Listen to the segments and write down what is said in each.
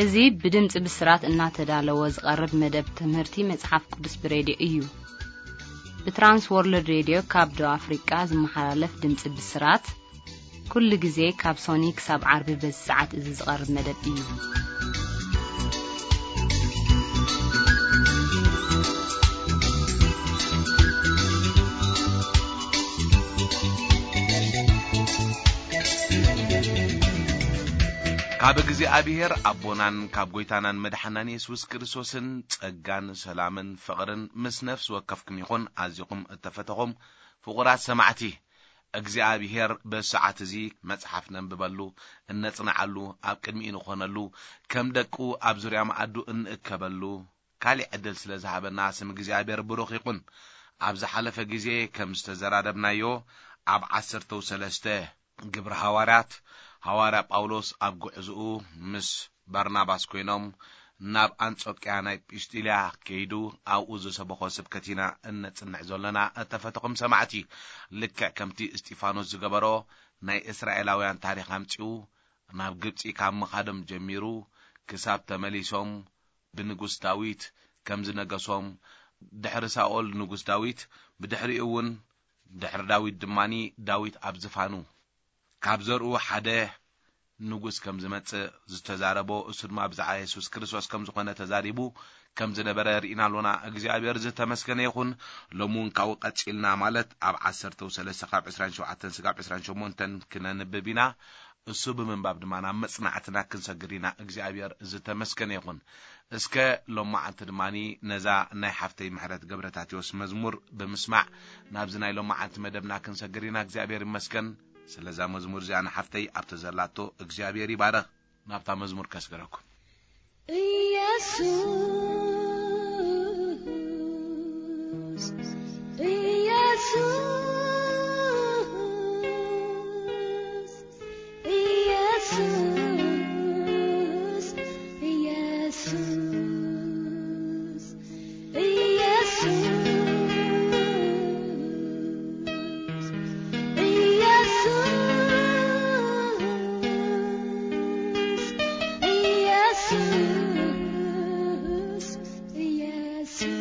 እዚ ብድምጺ ብስራት እናተዳለወ ዝቐርብ መደብ ትምህርቲ መጽሓፍ ቅዱስ ብሬድዮ እዩ። ብትራንስ ወርልድ ሬድዮ ካብ ደቡብ ኣፍሪቃ ዝመሓላለፍ ድምጺ ብስራት፣ ኩሉ ግዜ ካብ ሶኒ ክሳብ ዓርቢ በዚ ሰዓት እዚ ዝቐርብ መደብ እዩ። ካብ እግዚኣብሔር ኣቦናን ካብ ጐይታናን መድሓናን የሱስ ክርስቶስን ጸጋን ሰላምን ፍቕርን ምስ ነፍሲ ወከፍኩም ይኹን። ኣዚኹም እተፈተኹም ፍቑራት ሰማዕቲ፣ እግዚኣብሔር በዚ ሰዓት እዚ መጽሓፍ ነንብበሉ፣ እነጽንዓሉ፣ ኣብ ቅድሚኡ ንኾነሉ፣ ከም ደቁ ኣብ ዙርያ መኣዱ እንእከበሉ፣ ካሊእ ዕድል ስለ ዝሃበና ስም እግዚኣብሔር ብሩኽ ይኹን። ኣብ ዝሓለፈ ግዜ ከም ዝተዘራረብናዮ፣ ኣብ ዓሰርተው ሰለስተ ግብሪ ሃዋርያት፣ ሃዋርያ ጳውሎስ ኣብ ጉዕዝኡ ምስ በርናባስ ኮይኖም ናብ ኣንጾቅያ ናይ ጲስጢልያ ከይዱ ኣብኡ ዝሰበኾ ስብከት ኢና እነጽንዕ ዘሎና። እተፈተኹም ሰማዕቲ፣ ልክዕ ከምቲ እስጢፋኖስ ዝገበሮ ናይ እስራኤላውያን ታሪኽ ኣምጺኡ፣ ናብ ግብጺ ካብ ምኻዶም ጀሚሩ ክሳብ ተመሊሶም ብንጉስ ዳዊት ከም ዝነገሶም፣ ድሕሪ ሳኦል ንጉስ ዳዊት፣ ብድሕሪኡ እውን ድሕሪ ዳዊት ድማኒ ዳዊት ኣብ ዝፋኑ ካብ ዘርኡ ሓደ ንጉስ ከም ዝመጽእ ዝተዛረቦ፣ እሱ ድማ ብዛዕባ የሱስ ክርስቶስ ከም ዝኾነ ተዛሪቡ ከም ዝነበረ ርኢና ኣሎና። እግዚኣብሔር ዝተመስገነ ይኹን። ሎሚ እውን ካብኡ ቀጺልና፣ ማለት ኣብ ዓሰርተው ሰለስተ ካብ ዕስራን ሸውዓተን ስጋብ ዕስራን ሸሞንተን ክነንብብ ኢና። እሱ ብምንባብ ድማ ናብ መጽናዕትና ክንሰግር ኢና። እግዚኣብሔር ዝተመስገነ ይኹን። እስከ ሎማዓንቲ ድማኒ ነዛ ናይ ሓፍተይ ምሕረት ገብረታቴዎስ መዝሙር ብምስማዕ ናብዚ ናይ ሎማዓንቲ መደብና ክንሰግር ኢና። እግዚኣብሔር ይመስገን። ስለዛ መዝሙር እዚኣ ንሓፍተይ ኣብቲ ዘላቶ እግዚኣብሔር ይባረኽ። ናብታ መዝሙር ከስግረኩም። ኢየሱስ፣ ኢየሱስ፣ ኢየሱስ፣ ኢየሱስ፣ ኢየሱስ፣ ኢየሱስ፣ ኢየሱስ፣ ኢየሱስ።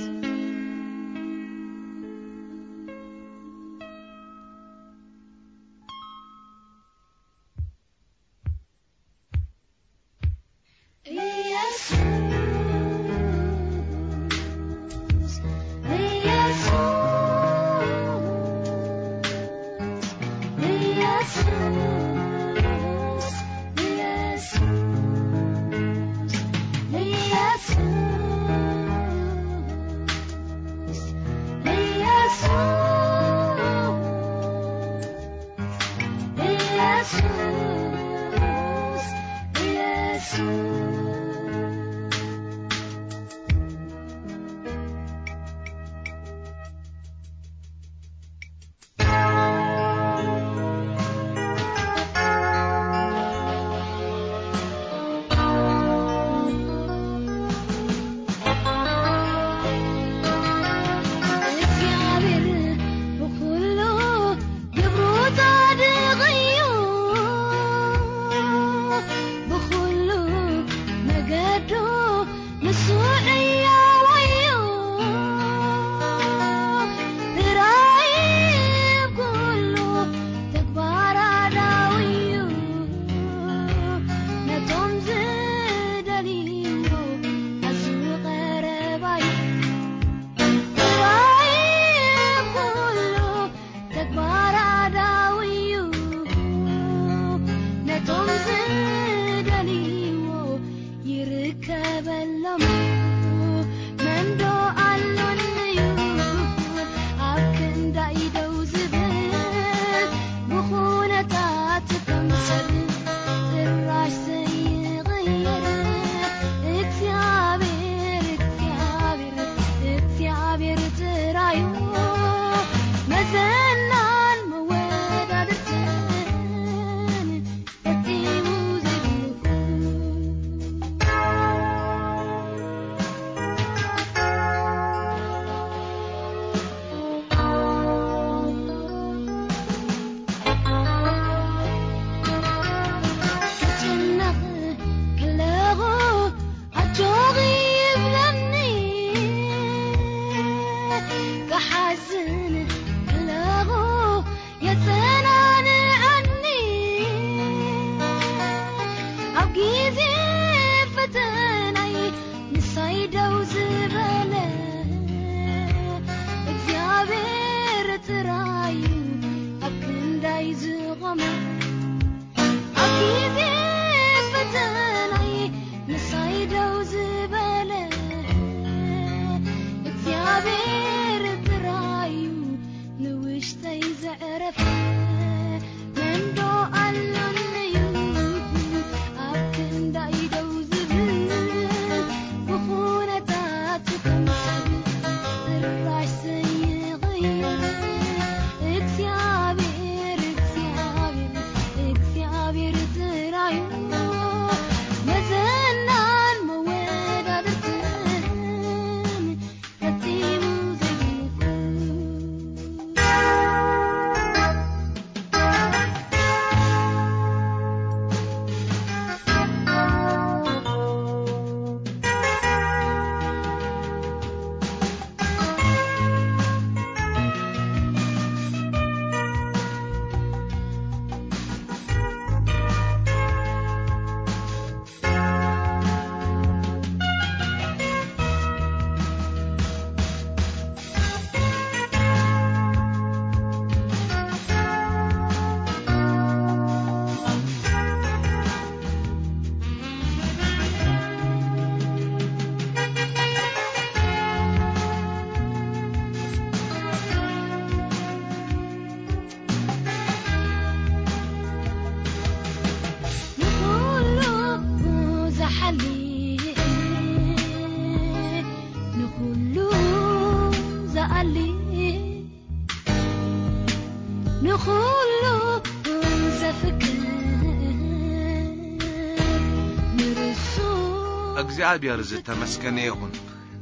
እግዚኣብሔር ዝተመስገነ ይኹን።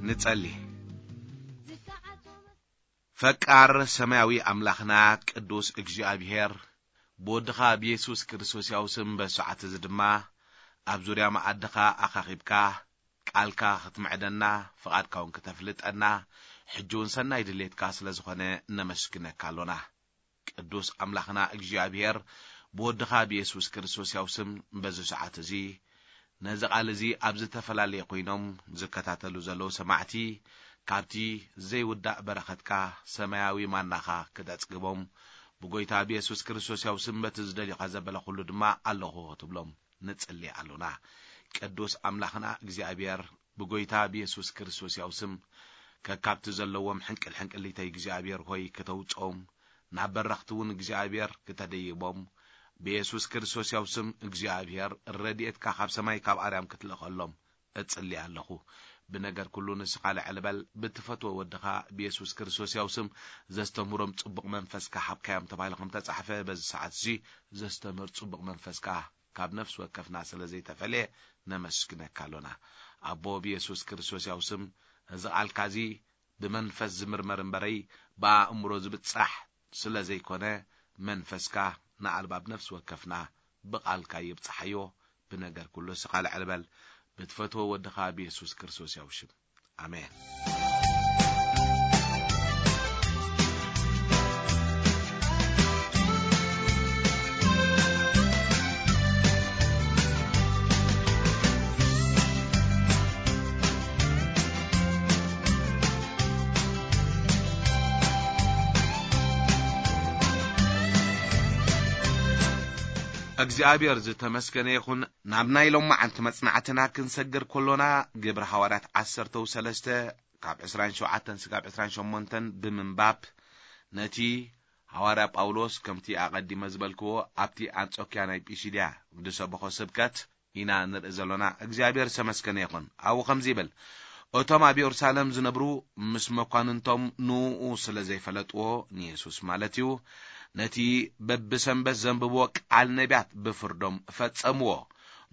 ንጸሊ። ፈቃር ሰማያዊ ኣምላኽና ቅዱስ እግዚኣብሔር፣ ብወድኻ ብየሱስ ክርስቶስ ያው ስም በሰዓት እዚ ድማ ኣብ ዙርያ መኣድኻ ኣኻኺብካ ቃልካ ክትምዕደና፣ ፍቓድካ እውን ክተፍልጠና፣ ሕጂ እውን ሰናይ ድሌትካ ስለ ዝኾነ ነመስግነካ ኣሎና። ቅዱስ ኣምላኽና እግዚኣብሔር፣ ብወድኻ ብየሱስ ክርስቶስ ያው ስም በዚ ሰዓት እዚ ነዚ ቃል እዚ ኣብ ዝተፈላለየ ኮይኖም ዝከታተሉ ዘለዉ ሰማዕቲ ካብቲ ዘይውዳእ በረኸትካ ሰማያዊ ማናኻ ክተጽግቦም ብጎይታ ብየሱስ ክርስቶስ ያው ስም በቲ ዝደልዩኻ ዘበለ ኩሉ ድማ ኣለኹ ክትብሎም ንጽሊ ኣሎና። ቅዱስ ኣምላኽና እግዚኣብሔር ብጎይታ ብየሱስ ክርስቶስ ያው ስም ከካብቲ ዘለዎም ሕንቅል ሕንቅሊተይ እግዚኣብሔር ሆይ ክተውጾም ናብ በረኽቲ እውን እግዚኣብሔር ክተደይቦም ብየሱስ ክርስቶስ ያው ስም እግዚኣብሔር ረድኤትካ ካብ ሰማይ ካብ ኣርያም ክትልእኸሎም እጽሊ ኣለኹ። ብነገር ኩሉ ንስኻ ልዕል በል፣ ብትፈትዎ ወድኻ ብየሱስ ክርስቶስ ያው ስም ዘስተምህሮም ጽቡቕ መንፈስካ ሓብካዮም ተባሂሉ ከም ተጻሕፈ በዚ ሰዓት እዚ ዘስተምህር ጽቡቕ መንፈስካ ካብ ነፍሲ ወከፍና ስለ ዘይተፈልየ ነመስግነካ ኣሎና። ኣቦ ብየሱስ ክርስቶስ ያው ስም እዚ ቃልካ እዚ ብመንፈስ ዝምርመር እምበረይ ብኣእምሮ ዝብጻሕ ስለ ዘይኮነ መንፈስካ ንኣልባብ ነፍሲ ወከፍና ብቃልካ ይብጻሓዮ። ብነገር ኩሉ ስኻ ልዕል በል ብትፈትዎ ወድኻ ብየሱስ ክርስቶስ ያው ሽም። ኣሜን። እግዚኣብሔር ዝተመስገነ ይኹን። ናብ ናይ ሎማዓንቲ መጽናዕትና ክንሰግር ከሎና፣ ግብሪ ሃዋርያት ዓሰርተው ሰለስተ ካብ ዕስራን ሸውዓተን ስጋብ ዕስራን ሸሞንተን ብምንባብ፣ ነቲ ሃዋርያ ጳውሎስ፣ ከምቲ ኣቐዲመ ዝበልክዎ፣ ኣብቲ ኣንጾክያ ናይ ጲሲድያ ዝሰበኾ ስብከት ኢና ንርኢ ዘሎና። እግዚኣብሔር ዝተመስገነ ይኹን። ኣብኡ ከምዚ ይብል፣ እቶም ኣብ የሩሳሌም ዝነብሩ ምስ መኳንንቶም ንኡ ስለ ዘይፈለጥዎ፣ ንየሱስ ማለት እዩ፣ ነቲ በብሰንበት ዘንብብዎ ቃል ነቢያት ብፍርዶም ፈጸምዎ።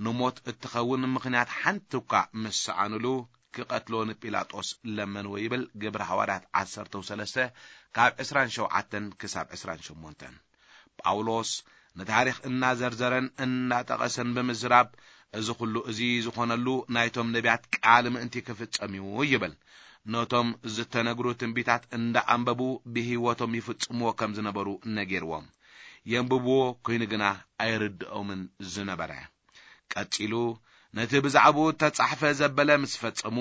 ንሞት እትኸውን ምኽንያት ሓንቲ እኳ ምስ ሰኣኑሉ፣ ክቐትልዎ ንጲላጦስ ለመንዎ ይብል ግብሪ ሃዋርያት ዓሰርተው ሰለስተ ካብ ዕስራን ሸውዓተን ክሳብ ዕስራን ሸሞንተን። ጳውሎስ ንታሪኽ እናዘርዘረን እናጠቐሰን ብምዝራብ፣ እዚ ኹሉ እዚ ዝኾነሉ ናይቶም ነቢያት ቃል ምእንቲ ክፍጸም እዩ ይብል። ነቶም ዝተነግሩ ትንቢታት እንዳኣንበቡ ብህይወቶም ይፍጽምዎ ከም ዝነበሩ ነጊርዎም። የንብብዎ፣ ኮይኑ ግና ኣይርድኦምን ዝነበረ። ቀጺሉ፣ ነቲ ብዛዕባኡ እተጻሕፈ ዘበለ ምስ ፈጸሙ፣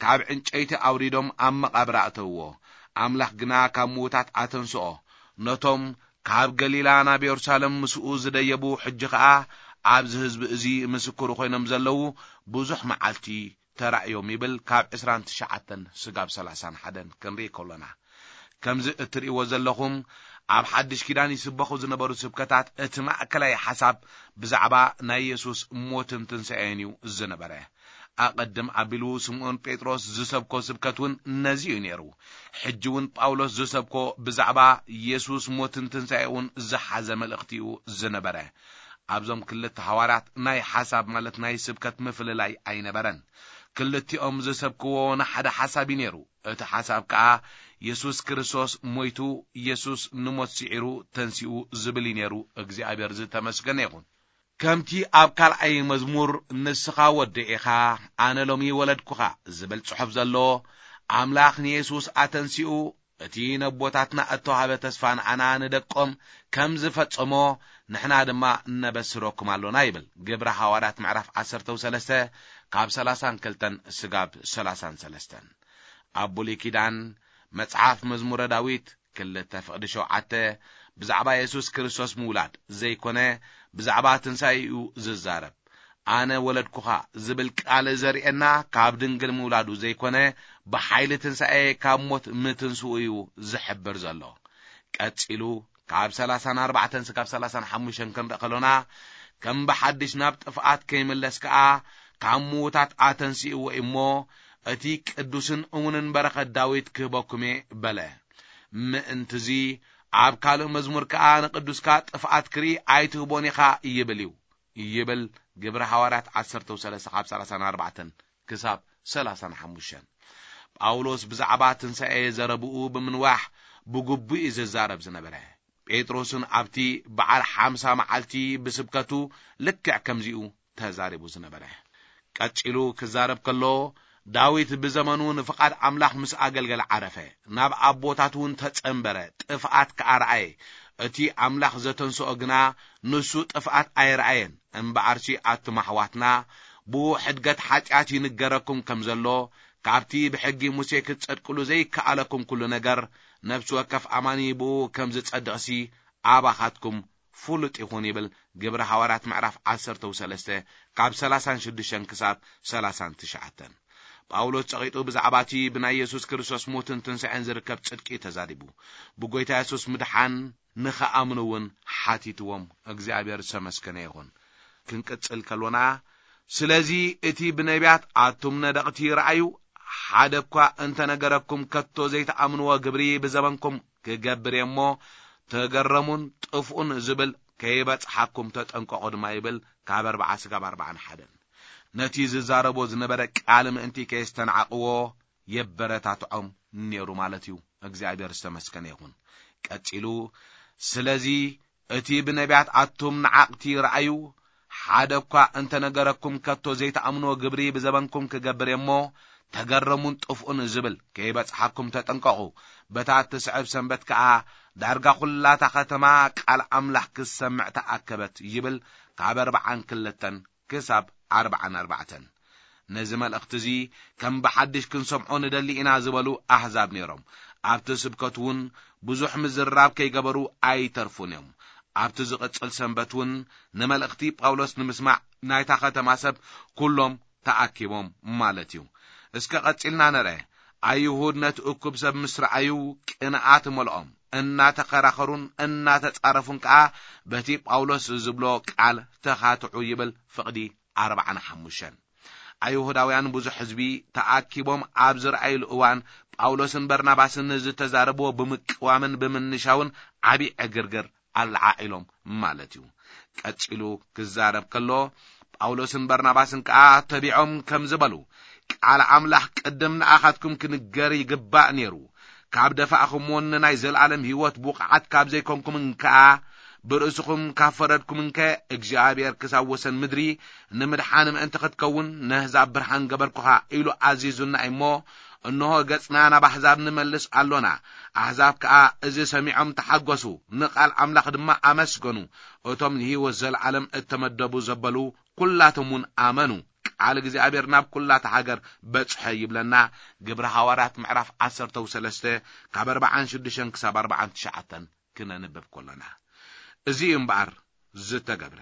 ካብ ዕንጨይቲ ኣውሪዶም ኣብ መቓብር ኣእተውዎ። ኣምላኽ ግና ካብ ምዉታት ኣተንስኦ። ነቶም ካብ ገሊላ ናብ የሩሳሌም ምስኡ ዝደየቡ፣ ሕጂ ኸኣ ኣብዚ ህዝቢ እዚ ምስክሩ ኮይኖም ዘለዉ ብዙሕ መዓልቲ ተራእዮም ይብል፣ ካብ ዕስራን ትሽዓተን ስጋብ ሰላሳን ሓደን ክንርኢ ከሎና። ከምዚ እትርእይዎ ዘለኹም፣ ኣብ ሓድሽ ኪዳን ይስበኹ ዝነበሩ ስብከታት፣ እቲ ማእከላይ ሓሳብ ብዛዕባ ናይ የሱስ ሞትን ትንሳኤን እዩ ዝነበረ። ኣቐድም ኣቢሉ ስምዖን ጴጥሮስ ዝሰብኮ ስብከት እውን ነዚ እዩ ነይሩ። ሕጂ እውን ጳውሎስ ዝሰብኮ ብዛዕባ የሱስ ሞትን ትንሳኤኡን ዝሓዘ መልእኽቲ እዩ ዝነበረ። ኣብዞም ክልተ ሃዋርያት ናይ ሓሳብ ማለት ናይ ስብከት ምፍልላይ ኣይነበረን። ክልቲኦም ዝሰብክዎ ንሓደ ሓሳብ እዩ ነይሩ። እቲ ሓሳብ ከኣ የሱስ ክርስቶስ ሞይቱ፣ የሱስ ንሞት ስዒሩ ተንሲኡ ዝብል እዩ ነይሩ። እግዚኣብሔር ዝተመስገነ ይኹን። ከምቲ ኣብ ካልኣይ መዝሙር፣ "ንስኻ ወደይ ኢኻ፣ ኣነ ሎሚ ወለድኩኻ" ዝብል ጽሑፍ ዘሎ፣ ኣምላኽ ንየሱስ ኣተንሲኡ፣ እቲ ነቦታትና እተዋህበ ተስፋ ንዓና ንደቆም ከም ዝፈጸሞ፣ ንሕና ድማ ነበስረኩም ኣሎና ይብል። ግብረ ሃዋርያት ምዕራፍ ዓሰርተው ሰለስተ ካብ ሰላሳን ክልተን ስጋብ ሰላሳን ሰለስተን። ኣብ ብሉይ ኪዳን መጽሓፍ መዝሙረ ዳዊት ክልተ ፍቕዲ ሸውዓተ ብዛዕባ የሱስ ክርስቶስ ምውላድ ዘይኮነ፣ ብዛዕባ ትንሳኤኡ ዝዛረብ። "ኣነ ወለድኩኻ" ዝብል ቃል ዘርእየና፣ ካብ ድንግል ምውላዱ ዘይኮነ፣ ብሓይሊ ትንሳኤ ካብ ሞት ምትንስኡ እዩ ዝሕብር ዘሎ። ቀጺሉ፣ ካብ ሰላሳን ኣርባዕተን ስጋብ ሰላሳን ሓሙሽተን ክንርኢ ከሎና፣ ከም ብሓድሽ ናብ ጥፍኣት ከይምለስ ከኣ፣ ካብ ምዉታት ኣተንሲእዎ እሞ፣ እቲ ቅዱስን እሙንን በረኸት ዳዊት ክህበኩም እየ በለ። ምእንትዚ፣ ኣብ ካልእ መዝሙር ከኣ፣ "ንቅዱስካ ጥፍኣት ክርኢ ኣይትህቦን ኢኻ" ይብል እዩ። ይብል ግብረ ሃዋርያት ዓሰርተው ሰለስተ ካብ ሰላሳን ኣርባዕተን ክሳብ ሰላሳን ሓሙሽተን። ጳውሎስ ብዛዕባ ትንሳኤ ዘረብኡ ብምንዋሕ ብግቡእ እዩ ዝዛረብ ዝነበረ። ጴጥሮስን ኣብቲ በዓል ሓምሳ መዓልቲ ብስብከቱ ልክዕ ከምዚኡ ተዛሪቡ ዝነበረ። ቀጺሉ ክዛረብ ከሎ፣ ዳዊት ብዘመኑ ንፍቓድ ኣምላኽ ምስ ኣገልገለ ዓረፈ። ናብ ኣቦታት እውን ተጸንበረ፣ ጥፍኣት ከኣ ረኣየ። እቲ ኣምላኽ ዘተንስኦ ግና ንሱ ጥፍኣት ኣይረኣየን። እምበኣርሲ ኣቱም ኣሕዋትና፣ ብኡ ሕድገት ሓጢኣት ይንገረኩም ከም ዘሎ፣ ካብቲ ብሕጊ ሙሴ ክትጸድቅሉ ዘይከኣለኩም ኩሉ ነገር፣ ነፍሲ ወከፍ ኣማኒ ብኡ ከም ዝጸድቕሲ ኣባኻትኩም ፍሉጥ ይኹን ይብል ግብሪ ሃዋርያት ምዕራፍ ዓሰርተ ሰለስተ ካብ ሰላሳን ሽዱሽተን ክሳብ ሰላሳን ትሽዓተን። ጳውሎስ ጸቒጡ ብዛዕባ እቲ ብናይ የሱስ ክርስቶስ ሞትን ትንሳኤን ዝርከብ ጽድቂ ተዛሪቡ። ብጎይታ የሱስ ምድሓን ንኸኣምኑ እውን ሓቲትዎም። እግዚኣብሔር ዝተመስገነ ይኹን። ክንቅጽል ከሎና፣ ስለዚ እቲ ብነቢያት ኣቱም ነደቕቲ ረኣዩ፣ ሓደ እኳ እንተነገረኩም ከቶ ዘይተኣምንዎ ግብሪ ብዘበንኩም ክገብር እየ እሞ ተገረሙን ጥፍኡን ዝብል ከይበጽሓኩም ተጠንቀቑ ድማ ይብል ካብ ኣርባዓ ስጋብ ኣርባዓን ሓደን። ነቲ ዝዛረቦ ዝነበረ ቃል ምእንቲ ከየስተናዕቕዎ የበረታትዖም ነይሩ ማለት እዩ። እግዚኣብሔር ዝተመስገነ ይኹን። ቀጺሉ፣ ስለዚ እቲ ብነቢያት ኣቱም ነዓቕቲ ረኣዩ፣ ሓደ እኳ እንተነገረኩም ከቶ ዘይተኣምንዎ ግብሪ ብዘበንኩም ክገብር እየ እሞ ተገረሙን ጥፍኡን ዝብል ከይበጽሓኩም ተጠንቀቑ። በታ እትስዕብ ሰንበት ከኣ ዳርጋ ኹላታ ከተማ ቃል ኣምላኽ ክትሰምዕ ተኣከበት ይብል ካብ ኣርባዓን ክልተን ክሳብ ኣርባዓን ኣርባዕተን። ነዚ መልእኽቲ እዚ ከም ብሓድሽ ክንሰምዖ ንደሊ ኢና ዝበሉ ኣህዛብ ነይሮም። ኣብቲ ስብከት እውን ብዙሕ ምዝርራብ ከይገበሩ ኣይተርፉን እዮም። ኣብቲ ዝቕጽል ሰንበት እውን ንመልእኽቲ ጳውሎስ ንምስማዕ ናይታ ከተማ ሰብ ኩሎም ተኣኪቦም ማለት እዩ። እስከ ቀጺልና ንርአ። ኣይሁድ ነቲ እኩብ ሰብ ምስ ረኣዩ ቅንኣት መልኦም፣ እናተኸራኸሩን እናተጻረፉን ከኣ በቲ ጳውሎስ ዝብሎ ቃል ተኻትዑ ይብል ፍቕዲ ኣርባዓን ሓሙሽተን። ኣይሁዳውያን ብዙሕ ህዝቢ ተኣኪቦም ኣብ ዝረኣይሉ እዋን ጳውሎስን በርናባስን ዝተዛረብዎ ብምቅዋምን ብምንሻውን ዓቢ ዕግርግር ኣለዓዒሎም ማለት እዩ። ቀጺሉ ክዛረብ ከሎ ጳውሎስን በርናባስን ከኣ ተቢዖም ከም ዝበሉ፣ ቃል ኣምላኽ ቅድም ንኣኻትኩም ክንገር ይግባእ ነይሩ። ካብ ደፋእኹምዎን ንናይ ዘለኣለም ህይወት ብቑዓት ካብ ዘይኮንኩምን ከኣ ብርእስኹም ካብ ፈረድኩም እንከ እግዚኣብሔር ክሳብ ወሰን ምድሪ ንምድሓን ምእንቲ ክትከውን ነህዛብ ብርሃን ገበርኩኻ ኢሉ ኣዚዙና እሞ፣ እንሆ ገጽና ናብ ኣሕዛብ ንመልስ ኣሎና። ኣሕዛብ ከኣ እዚ ሰሚዖም ተሓጎሱ፣ ንቓል ኣምላኽ ድማ ኣመስገኑ። እቶም ንህይወት ዘለዓለም እተመደቡ ዘበሉ ኩላቶም እውን ኣመኑ። ቃል እግዚኣብሔር ናብ ኩላታ ሃገር በጽሐ ይብለና። ግብሪ ሃዋርያት ምዕራፍ ዓሰርተ ሰለስተ ካብ ኣርባዓን ሽዱሽተን ክሳብ ኣርባዓን ትሽዓተን ክነንብብ ከሎና። እዚ እዩ እምበኣር ዝተገብረ።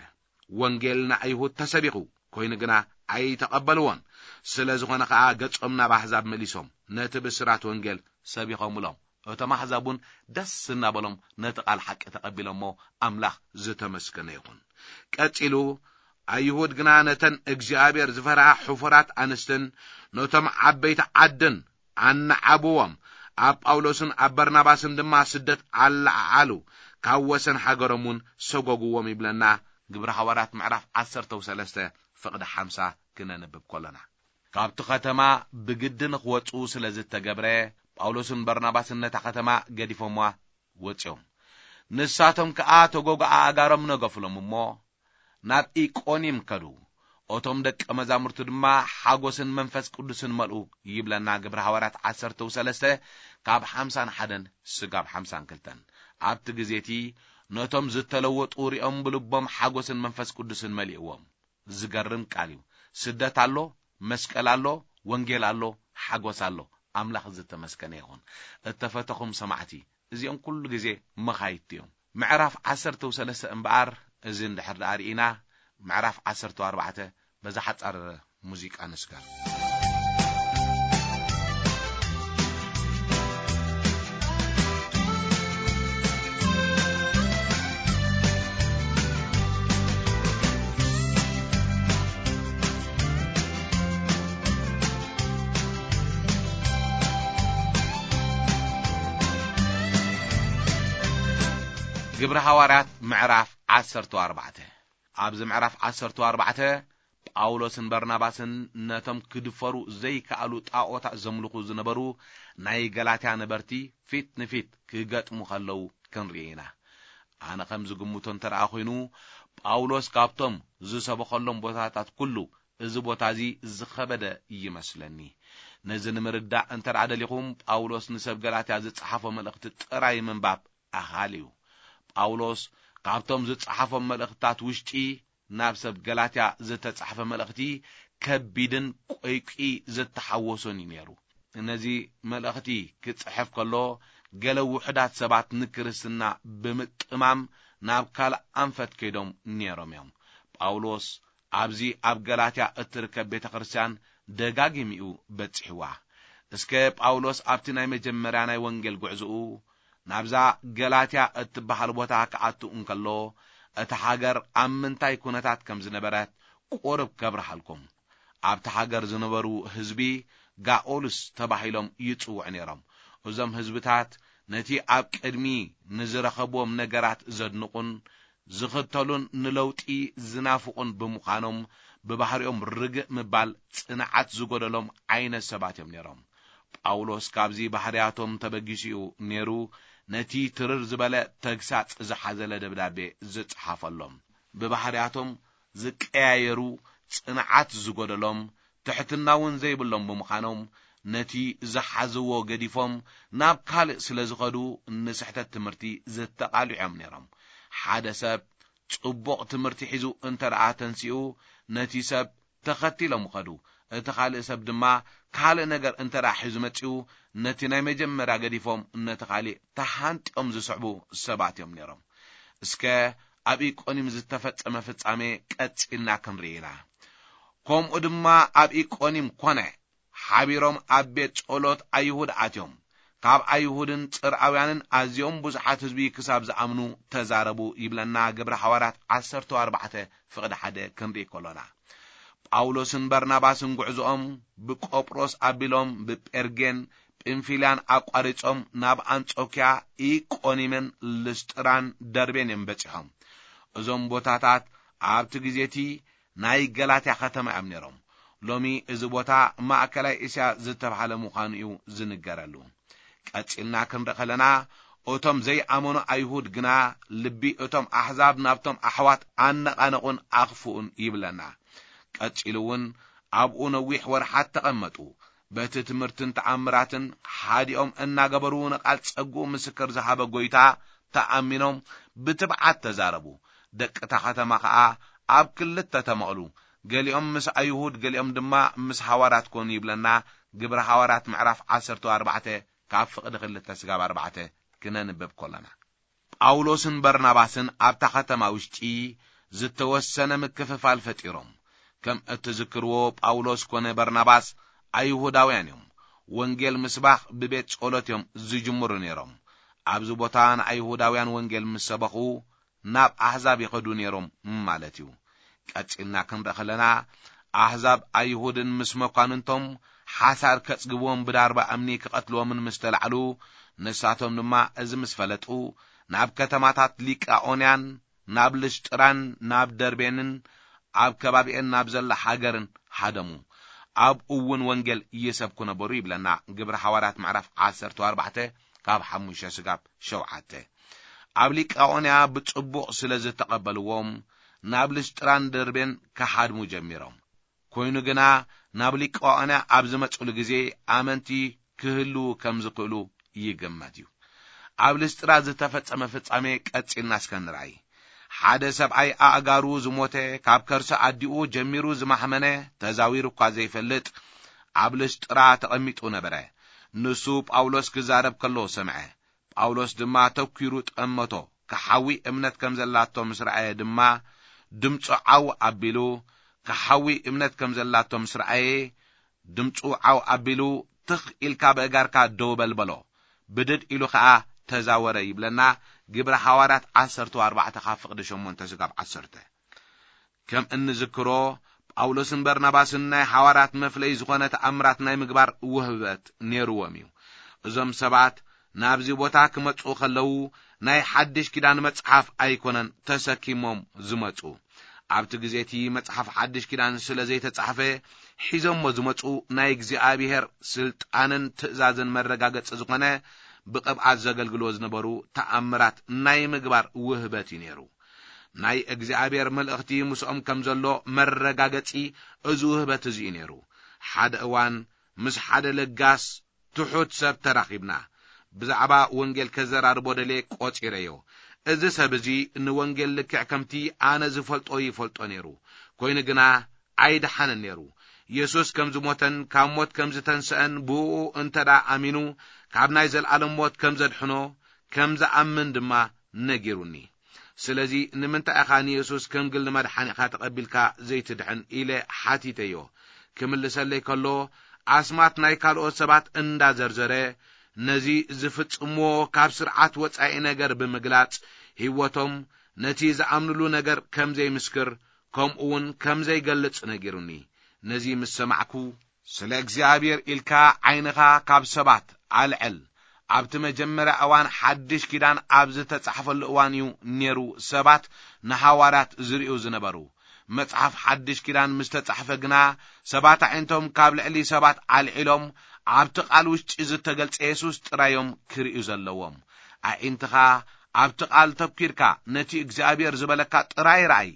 ወንጌል ንኣይሁድ ተሰቢኹ፣ ኮይኑ ግና ኣይተቐበልዎን። ስለ ዝኾነ ኸኣ ገጾም ናብ ኣሕዛብ መሊሶም ነቲ ብስራት ወንጌል ሰቢኾምሎም። እቶም ኣሕዛብ እውን ደስ እናበሎም ነቲ ቃል ሓቂ ተቐቢሎሞ፣ ኣምላኽ ዝተመስገነ ይኹን። ቀጺሉ፣ ኣይሁድ ግና ነተን እግዚኣብሔር ዝፈርሃ ሕፉራት ኣንስትን ነቶም ዓበይቲ ዓድን ኣነዓብዎም፣ ኣብ ጳውሎስን ኣብ በርናባስን ድማ ስደት ኣለዓዓሉ፣ ካብ ወሰን ሃገሮም እውን ሰጎግዎም ይብለና ግብሪ ሃዋርያት ምዕራፍ ዓሰርተ ሰለስተ ፍቕዲ ሓምሳ ክነንብብ ከሎና። ካብቲ ከተማ ብግዲ ንኽወጹ ስለ ዝተገብረ፣ ጳውሎስን በርናባስን ነታ ከተማ ገዲፎምዋ ወጺኦም። ንሳቶም ከኣ ተጎግኣ ኣጋሮም ነገፉሎም እሞ፣ ናብ ኢቆኒም ከዱ። እቶም ደቀ መዛሙርቱ ድማ ሓጎስን መንፈስ ቅዱስን መልኡ ይብለና ግብሪ ሃዋርያት ዓሰርተ ሰለስተ ካብ ሓምሳን ሓደን ስጋብ ሓምሳን ክልተን። ኣብቲ ግዜ እቲ ነቶም ዝተለወጡ ሪኦም ብልቦም ሓጎስን መንፈስ ቅዱስን መሊእዎም። ዝገርም ቃል እዩ። ስደት ኣሎ፣ መስቀል ኣሎ፣ ወንጌል ኣሎ፣ ሓጎስ ኣሎ። ኣምላኽ ዝተመስገነ ይኹን። እተፈተኹም ሰማዕቲ፣ እዚኦም ኩሉ ግዜ መኻይድቲ እዮም። ምዕራፍ ዓሰርተ ሰለስተ እምበኣር፣ እዚ እንድሕር ደኣ ርኢና፣ ምዕራፍ ዓሰርተ ኣርባዕተ በዛ ሓጻር ሙዚቃ ንስገር። ግብሪ ሃዋርያት ምዕራፍ ዓሰርተ ኣርባዕተ። ኣብዚ ምዕራፍ ዓሰርተ ኣርባዕተ ጳውሎስን በርናባስን ነቶም ክድፈሩ ዘይከኣሉ ጣዖታት ዘምልኹ ዝነበሩ ናይ ገላትያ ነበርቲ ፊት ንፊት ክገጥሙ ከለዉ ክንርኢ ኢና። ኣነ ከም ዝግምቶ እንተ ደኣ ኾይኑ፣ ጳውሎስ ካብቶም ዝሰበኸሎም ቦታታት ኩሉ፣ እዚ ቦታ እዚ ዝኸበደ ይመስለኒ። ነዚ ንምርዳእ እንተ ደኣ ደሊኹም፣ ጳውሎስ ንሰብ ገላትያ ዝጸሓፎ መልእኽቲ ጥራይ ምንባብ ኣኻሊ እዩ። ጳውሎስ ካብቶም ዝጸሓፎም መልእኽትታት ውሽጢ፣ ናብ ሰብ ገላትያ ዝተጻሕፈ መልእኽቲ ከቢድን ቆይቂ ዝተሓወሶን እዩ ነይሩ። ነዚ መልእኽቲ ክጽሕፍ ከሎ፣ ገለ ውሑዳት ሰባት ንክርስትና ብምጥማም ናብ ካልእ ኣንፈት ከይዶም ነይሮም እዮም። ጳውሎስ ኣብዚ ኣብ ገላትያ እትርከብ ቤተ ክርስቲያን ደጋጊሙ እዩ በጺሕዋ። እስከ ጳውሎስ ኣብቲ ናይ መጀመርያ ናይ ወንጌል ጉዕዞኡ ናብዛ ገላትያ እትበሃል ቦታ ክኣቱ እንከሎ፣ እታ ሃገር ኣብ ምንታይ ኩነታት ከም ዝነበረት ቁሩብ ከብርሃልኩም። ኣብቲ ሃገር ዝነበሩ ህዝቢ ጋኦልስ ተባሂሎም ይጽውዑ ነይሮም። እዞም ህዝብታት ነቲ ኣብ ቅድሚ ንዝረኸብዎም ነገራት ዘድንቑን ዝኽተሉን ንለውጢ ዝናፍቑን ብምዃኖም፣ ብባህሪኦም ርግእ ምባል ጽንዓት ዝጎደሎም ዓይነት ሰባት እዮም ነይሮም። ጳውሎስ ካብዚ ባህርያቶም ተበጊሱ እዩ ነይሩ ነቲ ትርር ዝበለ ተግሳጽ ዝሓዘለ ደብዳቤ ዝጸሓፈሎም። ብባህርያቶም ዝቀያየሩ፣ ጽንዓት ዝጎደሎም፣ ትሕትና እውን ዘይብሎም ብምዃኖም፣ ነቲ ዝሓዝዎ ገዲፎም ናብ ካልእ ስለ ዝኸዱ፣ ንስሕተት ትምህርቲ ዝተቓልዑ እዮም ነይሮም። ሓደ ሰብ ጽቡቕ ትምህርቲ ሒዙ እንተ ደኣ ተንሲኡ፣ ነቲ ሰብ ተኸቲሎም ይኸዱ። እቲ ካልእ ሰብ ድማ ካልእ ነገር እንተ ደኣ ሒዙ መጺኡ፣ ነቲ ናይ መጀመርያ ገዲፎም ነቲ ካልእ ተሃንጢኦም ዝስዕቡ ሰባት እዮም ነይሮም። እስከ ኣብ ኢቆንዩም ዝተፈጸመ ፍጻሜ ቀጺልና ክንርኢ ኢና። ከምኡ ድማ ኣብ ኢቆንዩም ኮነ። ሓቢሮም ኣብ ቤት ጸሎት ኣይሁድ ኣትዮም። ካብ ኣይሁድን ጽርኣውያንን ኣዝዮም ብዙሓት ህዝቢ ክሳብ ዝኣምኑ ተዛረቡ ይብለና ግብሪ ሃዋርያት ዓሰርተ ኣርባዕተ ፍቕዲ ሓደ ክንርኢ ከሎና። ጳውሎስን በርናባስን ጉዕዞኦም ብቆጵሮስ ኣቢሎም ብጴርጌን ጵንፊልያን ኣቋሪጾም ናብ ኣንጾክያ፣ ኢቆኒምን ልስጥራን ደርቤን እዮም በጺሖም። እዞም ቦታታት ኣብቲ ግዜ እቲ ናይ ገላትያ ከተማ እዮም ነይሮም። ሎሚ እዚ ቦታ ማእከላይ እስያ ዝተባህለ ምዃኑ እዩ ዝንገረሉ። ቀጺልና ክንርኢ ከለና፣ እቶም ዘይኣመኑ ኣይሁድ ግና ልቢ እቶም ኣሕዛብ ናብቶም ኣሕዋት ኣነቓነቑን ኣኽፍኡን ይብለና። ቀጺሉ እውን ኣብኡ ነዊሕ ወርሓት ተቐመጡ። በቲ ትምህርትን ተኣምራትን ሓዲኦም እናገበሩ ንቓል ጸግኡ ምስክር ዝሃበ ጐይታ ተኣሚኖም ብትብዓት ተዛረቡ። ደቂ እታ ከተማ ኸኣ ኣብ ክልተ ተመቕሉ። ገሊኦም ምስ ኣይሁድ፣ ገሊኦም ድማ ምስ ሃዋርያት ኮኑ ይብለና ግብሪ ሃዋርያት ምዕራፍ ዓሰርተ ኣርባዕተ ካብ ፍቕዲ ክልተ ስጋብ ኣርባዕተ ክነንብብ ከሎና። ጳውሎስን በርናባስን ኣብታ ከተማ ውሽጢ ዝተወሰነ ምክፍፋል ፈጢሮም። ከም እትዝክርዎ ጳውሎስ ኮነ በርናባስ ኣይሁዳውያን እዮም። ወንጌል ምስባኽ ብቤት ጸሎት እዮም ዝጅምሩ ነይሮም። ኣብዚ ቦታ ንኣይሁዳውያን ወንጌል ምስ ሰበኹ ናብ ኣሕዛብ ይኸዱ ነይሮም ማለት እዩ። ቀጺልና ክንርኢ ከለና፣ ኣሕዛብ ኣይሁድን ምስ መኳንንቶም ሓሳር ከጽግብዎም ብዳርባ እምኒ ክቐትልዎምን ምስ ተላዕሉ፣ ንሳቶም ድማ እዚ ምስ ፈለጡ፣ ናብ ከተማታት ሊቃኦንያን ናብ ልስጥራን ናብ ደርቤንን ኣብ ከባቢኤን ናብ ዘላ ሃገርን ሃደሙ። ኣብኡ እውን ወንጌል ይሰብኩ ነበሩ ይብለና ግብሪ ሃዋርያት ምዕራፍ ዓሰርተ ኣርባዕተ ካብ ሓሙሽተ ስጋብ ሸውዓተ። ኣብ ሊቃኦንያ ብጽቡቕ ስለ ዝተቐበልዎም፣ ናብ ልስጥራን ደርቤን ክሃድሙ ጀሚሮም። ኮይኑ ግና፣ ናብ ሊቃኦንያ ኣብ ዝመጹሉ ግዜ ኣመንቲ ክህልዉ ከም ዝኽእሉ ይግመት እዩ። ኣብ ልስጥራ ዝተፈጸመ ፍጻሜ ቀጺልና እስከ ንርኣይ። ሓደ ሰብኣይ ኣእጋሩ ዝሞተ፣ ካብ ከርሲ ኣዲኡ ጀሚሩ ዝማሕመነ፣ ተዛዊሩ እኳ ዘይፈልጥ፣ ኣብ ልስጥራ ተቐሚጡ ነበረ። ንሱ ጳውሎስ ክዛረብ ከሎ ሰምዐ። ጳውሎስ ድማ ተኲሩ ጠመቶ። ክሓዊ እምነት ከም ዘላቶ ምስ ረኣየ ድማ፣ ድምፁ ዓው ኣቢሉ፣ ክሓዊ እምነት ከም ዘላቶ ምስ ረኣየ፣ ድምፁ ዓው ኣቢሉ፣ ትኽ ኢልካ ብእጋርካ ደው በል በሎ። ብድድ ኢሉ ኸኣ ተዛወረ ይብለና ግብረ ሃዋርያት ዓሰርተ ኣርባዕተ ካብ ፍቕዲ ሸሞንተ ስጋብ ዓሰርተ። ከም እንዝክሮ፣ ጳውሎስን በርናባስን ናይ ሓዋርያት መፍለይ ዝኾነ ተኣምራት ናይ ምግባር ውህበት ነይርዎም እዩ። እዞም ሰባት ናብዚ ቦታ ክመጹ ከለዉ፣ ናይ ሓድሽ ኪዳን መጽሓፍ ኣይኮነን ተሰኪሞም ዝመጹ። ኣብቲ ግዜ እቲ መጽሓፍ ሓድሽ ኪዳን ስለ ዘይተጻሕፈ፣ ሒዞሞ ዝመጹ ናይ እግዚኣብሔር ስልጣንን ትእዛዝን መረጋገጺ ዝኾነ ብቕብኣት ዘገልግልዎ ዝነበሩ ተኣምራት ናይ ምግባር ውህበት እዩ ነይሩ። ናይ እግዚኣብሔር መልእኽቲ ምስኦም ከም ዘሎ መረጋገጺ እዚ ውህበት እዚ እዩ ነይሩ። ሓደ እዋን ምስ ሓደ ለጋስ ትሑት ሰብ ተራኺብና። ብዛዕባ ወንጌል ከዘራርቦ ደልየ ቆጺረዮ። እዚ ሰብ እዚ ንወንጌል ልክዕ ከምቲ ኣነ ዝፈልጦ ይፈልጦ ነይሩ። ኮይኑ ግና ኣይደሓነን ነይሩ። የሱስ ከም ዝሞተን ካብ ሞት ከም ዝተንስአን ብእኡ እንተ ደኣ ኣሚኑ ካብ ናይ ዘለኣለም ሞት ከም ዘድሕኖ፣ ከም ዝኣምን ድማ ነጊሩኒ። ስለዚ ንምንታይ ኢኻ ንየሱስ ከም ግሊ መድሓኒኻ ተቐቢልካ ዘይትድሕን? ኢለ ሓቲተዮ። ክምልሰለይ ከሎ፣ ኣስማት ናይ ካልኦት ሰባት እንዳዘርዘረ፣ ነዚ ዝፍጽምዎ ካብ ስርዓት ወጻኢ ነገር ብምግላጽ፣ ህይወቶም ነቲ ዝኣምንሉ ነገር ከም ዘይምስክር፣ ከምኡ እውን ከም ዘይገልጽ ነጊሩኒ። ነዚ ምስ ሰማዕኩ፣ ስለ እግዚኣብሔር ኢልካ ዓይንኻ ካብ ሰባት ኣልዕል። ኣብቲ መጀመርያ እዋን ሓድሽ ኪዳን ኣብ ዝተጻሕፈሉ እዋን እዩ ነይሩ ሰባት ንሃዋርያት ዝርእዩ ዝነበሩ። መጽሓፍ ሓድሽ ኪዳን ምስ ተጻሕፈ ግና ሰባት ኣዒንቶም ካብ ልዕሊ ሰባት ኣልዒሎም ኣብቲ ቃል ውሽጢ ዝተገልጸ የሱስ ጥራዮም ክርእዩ ዘለዎም። ኣዒንትኻ ኣብቲ ቃል ተኲርካ ነቲ እግዚኣብሔር ዝበለካ ጥራይ ረኣይ።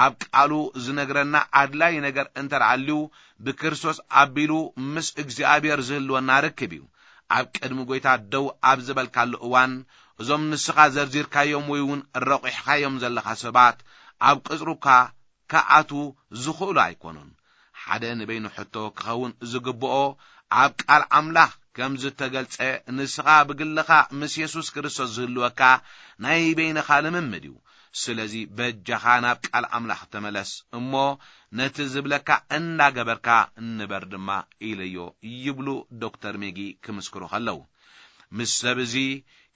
ኣብ ቃሉ ዝነግረና ኣድላይ ነገር እንተ ደኣ ኣልዩ፣ ብክርስቶስ ኣቢሉ ምስ እግዚኣብሔር ዝህልወና ርክብ እዩ። ኣብ ቅድሚ ጐይታ ደው ኣብ ዝበልካሉ እዋን፣ እዞም ንስኻ ዘርዚርካዮም ወይ እውን ረቑሕካዮም ዘለኻ ሰባት ኣብ ቅጽሩካ ክኣትዉ ዝኽእሉ ኣይኮኑን። ሓደ ንበይኑ ሕቶ ክኸውን ዝግብኦ፣ ኣብ ቃል ኣምላኽ ከም ዝተገልጸ፣ ንስኻ ብግልኻ ምስ የሱስ ክርስቶስ ዝህልወካ ናይ በይንኻ ልምምድ እዩ። ስለዚ በጃኻ ናብ ቃል ኣምላኽ ተመለስ እሞ፣ ነቲ ዝብለካ እናገበርካ ንበር ድማ ኢለዮ፣ ይብሉ ዶክተር ሜጊ ክምስክሩ ከለዉ። ምስ ሰብ እዚ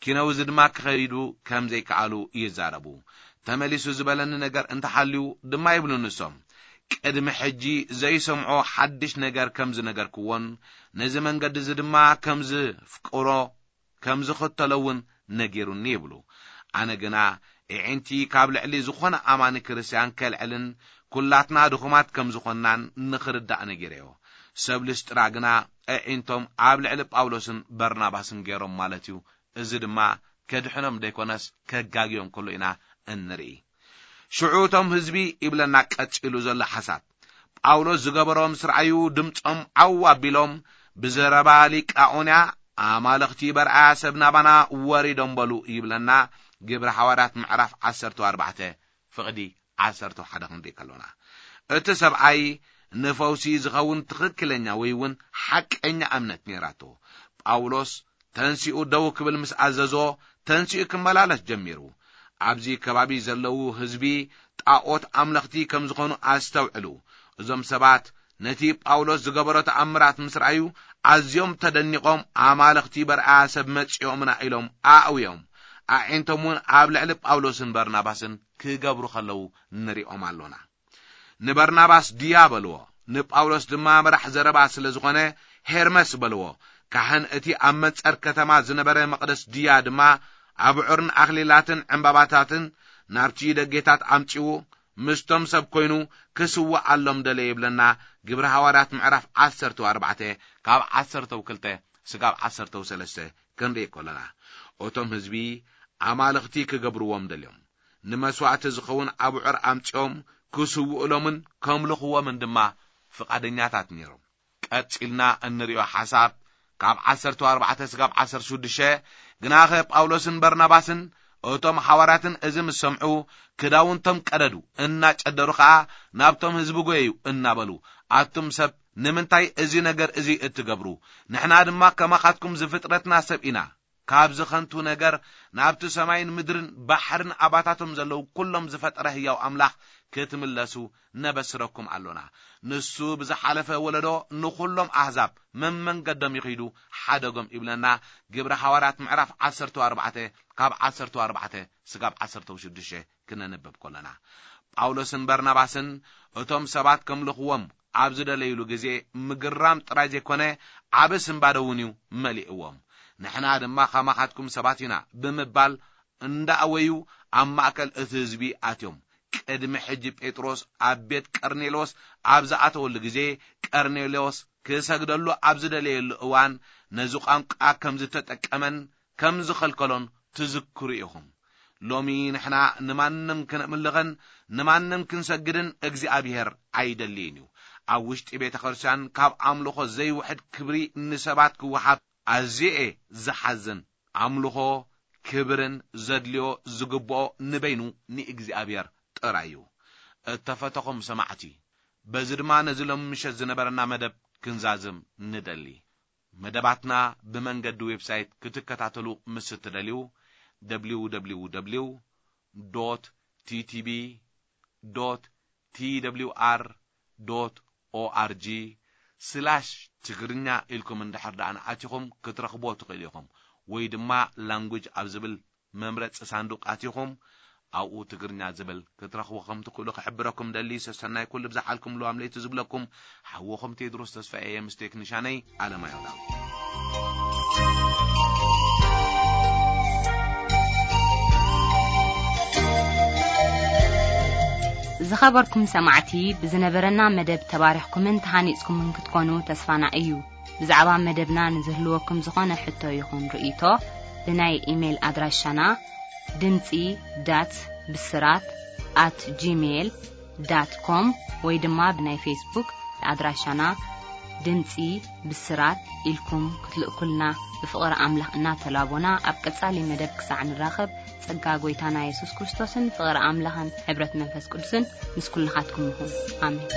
ኪነውዚ ድማ ክኸይዱ ከም ዘይከኣሉ ይዛረቡ። ተመሊሱ ዝበለኒ ነገር እንተሃልዩ ድማ ይብሉ ንሶም፣ ቅድሚ ሕጂ ዘይሰምዖ ሓድሽ ነገር ከም ዝነገርክዎን ነዚ መንገዲ እዚ ድማ ከም ዝፍቅሮ ከም ዝኽተሎ እውን ነጊሩኒ ይብሉ። ኣነ ግና ኣዒንቲ ካብ ልዕሊ ዝኾነ ኣማኒ ክርስትያን ከልዕልን ኩላትና ድኹማት ከም ዝኾንናን ንኽርዳእ ነጊረዮ። ሰብ ልስጥራ ግና ኣዒንቶም ኣብ ልዕሊ ጳውሎስን በርናባስን ገይሮም ማለት እዩ። እዚ ድማ ከድሕኖም ደይኮነስ ከጋግዮም ከሎ ኢና እንርኢ። ሽዑ እቶም ህዝቢ ይብለና ቀጺሉ ዘሎ ሓሳብ፣ ጳውሎስ ዝገበሮ ምስ ረኣዩ ድምጾም ዓው ኣቢሎም ብዘረባ ሊቃኦንያ፣ ኣማልኽቲ በርኣያ ሰብ ናባና ወሪዶም በሉ ይብለና። ግብሪ ሓዋርያት ምዕራፍ ዓሰርተ ኣርባዕተ ፍቕዲ ዓሰርተ ሓደ ክንርኢ ከሎና፣ እቲ ሰብኣይ ንፈውሲ ዝኸውን ትኽክለኛ ወይ እውን ሓቀኛ እምነት ነይራቶ። ጳውሎስ ተንሲኡ ደው ክብል ምስ ኣዘዞ፣ ተንሲኡ ክመላለስ ጀሚሩ። ኣብዚ ከባቢ ዘለዉ ህዝቢ ጣዖት ኣምለኽቲ ከም ዝኾኑ ኣስተውዕሉ። እዞም ሰባት ነቲ ጳውሎስ ዝገበሮ ተኣምራት ምስ ረኣዩ፣ ኣዝዮም ተደኒቖም፣ ኣማልኽቲ በርኣያ ሰብ መጺኦምና ኢሎም ኣእውዮም። ኣዒንቶም እውን ኣብ ልዕሊ ጳውሎስን በርናባስን ክገብሩ ከለዉ ንሪኦም ኣሎና። ንበርናባስ ድያ በልዎ፣ ንጳውሎስ ድማ መራሕ ዘረባ ስለ ዝኾነ ሄርመስ በልዎ። ካህን እቲ ኣብ መንጸር ከተማ ዝነበረ መቕደስ ድያ ድማ ኣብዑርን ኣኽሊላትን ዕምባባታትን ናብቲ ደጌታት ኣምጺኡ ምስቶም ሰብ ኮይኑ ክስውኣሎም ደለ ይብለና። ግብሪ ሃዋርያት ምዕራፍ ዓሰርተ ኣርባዕተ ካብ ዓሰርተ ክልተ ስጋብ ዓሰርተ ሰለስተ ክንርኢ ከለና፣ እቶም ህዝቢ ኣማልኽቲ ክገብርዎም ደልዮም ንመስዋእቲ ዝኸውን ኣብዑር ኣምጺኦም ክስውእሎምን ከምልኽዎምን ድማ ፍቓደኛታት ነይሮም። ቀጺልና እንሪኦ ሓሳብ ካብ ዓሰርተ ኣርባዕተ ስጋብ ዓሰርተ ሽዱሽተ፣ ግናኸ ጳውሎስን በርናባስን እቶም ሓዋርያትን እዚ ምስ ሰምዑ፣ ክዳውንቶም ቀደዱ፣ እናጨደሩ ኸኣ ናብቶም ህዝቢ ጐየዩ እናበሉ፣ ኣቱም ሰብ፣ ንምንታይ እዚ ነገር እዚ እትገብሩ? ንሕና ድማ ከማኻትኩም ዝፍጥረትና ሰብ ኢና። ካብዚ ኸንቱ ነገር ናብቲ ሰማይን ምድርን ባሕርን ኣባታቶም ዘለዉ ኵሎም ዝፈጠረ ህያው ኣምላኽ ክትምለሱ ነበስረኩም ኣሎና። ንሱ ብዝሓለፈ ወለዶ ንኹሎም ኣህዛብ መመንገዶም ይኺዱ ሓደጎም ይብለና። ግብሪ ሃዋርያት ምዕራፍ ዓሰርተ ኣርባዕተ ካብ ዓሰርተ ኣርባዕተ ስጋብ ዓሰርተ ሽዱሽተ ክነንብብ ከለና፣ ጳውሎስን በርናባስን እቶም ሰባት ከምልኽዎም ኣብ ዝደለይሉ ግዜ፣ ምግራም ጥራይ ዘይኮነ፣ ዓቢ ስንባደ እውን እዩ መሊእዎም። ንሕና ድማ ከማኻትኩም ሰባት ኢና ብምባል እንዳኣወዩ ኣብ ማእከል እቲ ህዝቢ ኣትዮም። ቅድሚ ሕጂ ጴጥሮስ ኣብ ቤት ቀርኔሎስ ኣብ ዝኣተወሉ ግዜ፣ ቀርኔሎስ ክሰግደሉ ኣብ ዝደለየሉ እዋን፣ ነዚ ቋንቋ ከም ዝተጠቀመን ከም ዝኸልከሎን ትዝክሩ ኢኹም። ሎሚ ንሕና ንማንም ክነምልኽን ንማንም ክንሰግድን እግዚኣብሔር ኣይደልይን እዩ። ኣብ ውሽጢ ቤተ ክርስቲያን ካብ ኣምልኾ ዘይውሕድ ክብሪ ንሰባት ክወሃብ ኣዝየ ዝሓዝን። ኣምልኾ ክብርን ዘድልዮ ዝግብኦ ንበይኑ ንእግዚኣብሔር ጥራይ እዩ። እተፈተኹም ሰማዕቲ፣ በዚ ድማ ነዚ ሎም ምሸት ዝነበረና መደብ ክንዛዝም ንደሊ። መደባትና ብመንገዲ ዌብሳይት ክትከታተሉ ምስ እትደልዩ፣ www.ttb.twr.org ስላሽ ትግርኛ ኢልኩም እንድሕር ደኣ ንኣቲኹም ክትረኽብዎ ትኽእሉ ኢኹም። ወይ ድማ ላንጉጅ ኣብ ዝብል መምረጺ ሳንዱቕ ኣቲኹም ኣብኡ ትግርኛ ዝብል ክትረኽቡ ከም ትኽእሉ ክሕብረኩም ደሊ። ሰሰናይ ኩሉ ብዝሓልኩም ልዋም ለይቲ ዝብለኩም ሓወኹም ቴድሮስ ተስፋ እየ ምስ ቴክኒሻነይ ኣለማየሁ ዳዊት። ዝኸበርኩም ሰማዕቲ፣ ብዝነበረና መደብ ተባሪኽኩምን ተሃኒጽኩምን ክትኮኑ ተስፋና እዩ። ብዛዕባ መደብና ንዝህልወኩም ዝኾነ ሕቶ ይኹን ርእይቶ፣ ብናይ ኢሜይል ኣድራሻና ድምጺ ዳት ብስራት ኣት ጂሜይል ዳት ኮም ወይ ድማ ብናይ ፌስቡክ ኣድራሻና ድምጺ ብስራት ኢልኩም ክትልእኩልና ብፍቕሪ ኣምላኽ እናተላቦና፣ ኣብ ቀጻሊ መደብ ክሳዕ ንራኸብ፣ ጸጋ ጐይታና የሱስ ክርስቶስን ፍቕሪ ኣምላኽን ሕብረት መንፈስ ቅዱስን ምስ ኩልኻትኩም ይኹን። ኣሜን።